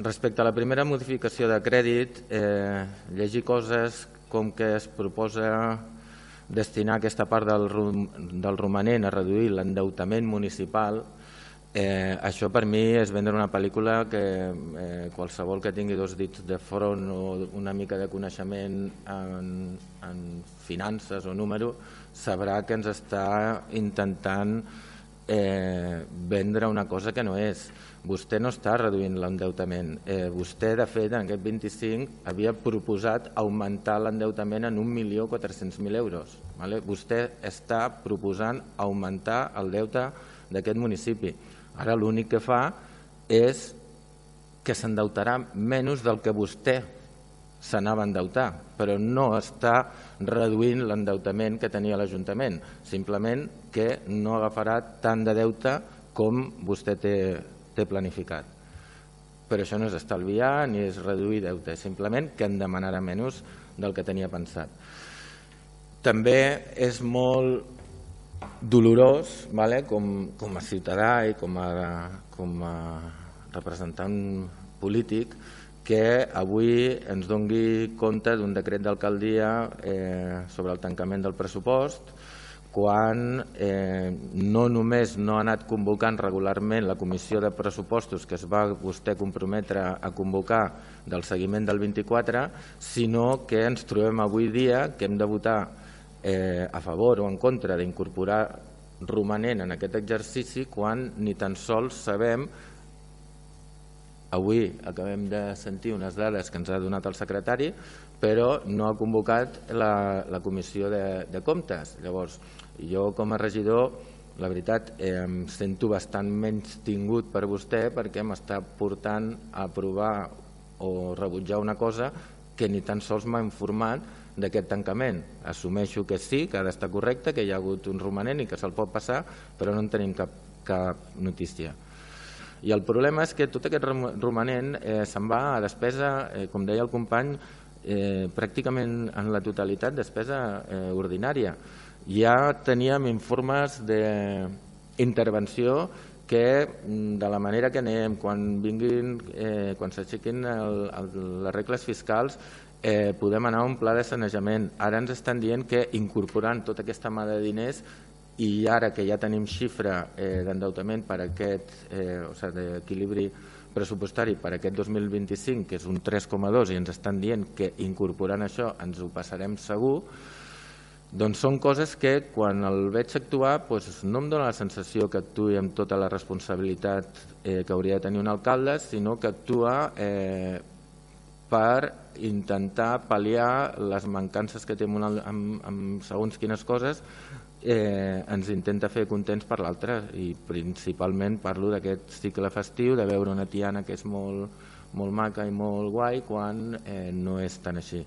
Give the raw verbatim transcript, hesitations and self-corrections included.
respecte a la primera modificació de crèdit, eh, llegir coses com que es proposa destinar aquesta part del, del romanent a reduir l'endeutament municipal, eh, això per mi és vendre una pel·lícula que eh, qualsevol que tingui dos dits de front o una mica de coneixement en, en finances o número sabrà que ens està intentant eh, vendre una cosa que no és. Vostè no està reduint l'endeutament. Eh, vostè, de fet, en aquest vint-i-cinc havia proposat augmentar l'endeutament en un milió quatre-cents mil euros. Vale? Vostè està proposant augmentar el deute d'aquest municipi. Ara l'únic que fa és que s'endeutarà menys del que vostè s'anava a endeutar, però no està reduint l'endeutament que tenia l'Ajuntament, simplement que no agafarà tant de deute com vostè té, té planificat. Però això no és estalviar ni és reduir deute, simplement que en demanarà menys del que tenia pensat. També és molt dolorós, vale? com, com a ciutadà i com a, com a representant polític, que avui ens doni compte d'un decret d'alcaldia eh, sobre el tancament del pressupost, quan eh, no només no ha anat convocant regularment la comissió de pressupostos que es va vostè comprometre a convocar del seguiment del vint-i-quatre, sinó que ens trobem avui dia que hem de votar eh, a favor o en contra d'incorporar romanent en aquest exercici quan ni tan sols sabem. Avui acabem de sentir unes dades que ens ha donat el secretari, però no ha convocat la, la comissió de, de comptes. Llavors, jo com a regidor, la veritat, eh, em sento bastant menys tingut per vostè perquè m'està portant a aprovar o rebutjar una cosa que ni tan sols m'ha informat d'aquest tancament. Assumeixo que sí, que ha d'estar correcte, que hi ha hagut un romanent i que se'l pot passar, però no en tenim cap, cap notícia. I el problema és que tot aquest romanent eh, se'n va a despesa, eh, com deia el company, eh, pràcticament en la totalitat despesa eh, ordinària. Ja teníem informes d'intervenció que de la manera que anem, quan vinguin, eh, quan s'aixequin les regles fiscals, eh, podem anar a un pla de sanejament. Ara ens estan dient que incorporant tota aquesta mà de diners i ara que ja tenim xifra eh, d'endeutament per aquest, eh, o sigui, d'equilibri pressupostari per aquest dos mil vint-i-cinc, que és un tres coma dos, i ens estan dient que incorporant això ens ho passarem segur, doncs són coses que quan el veig actuar doncs no em dóna la sensació que actuï amb tota la responsabilitat eh, que hauria de tenir un alcalde, sinó que actua eh, per intentar pal·liar les mancances que té amb, amb, amb segons quines coses. Eh, ens intenta fer contents per l'altre i principalment parlo d'aquest cicle festiu, de veure una tiana que és molt, molt maca i molt guai quan eh, no és tan així.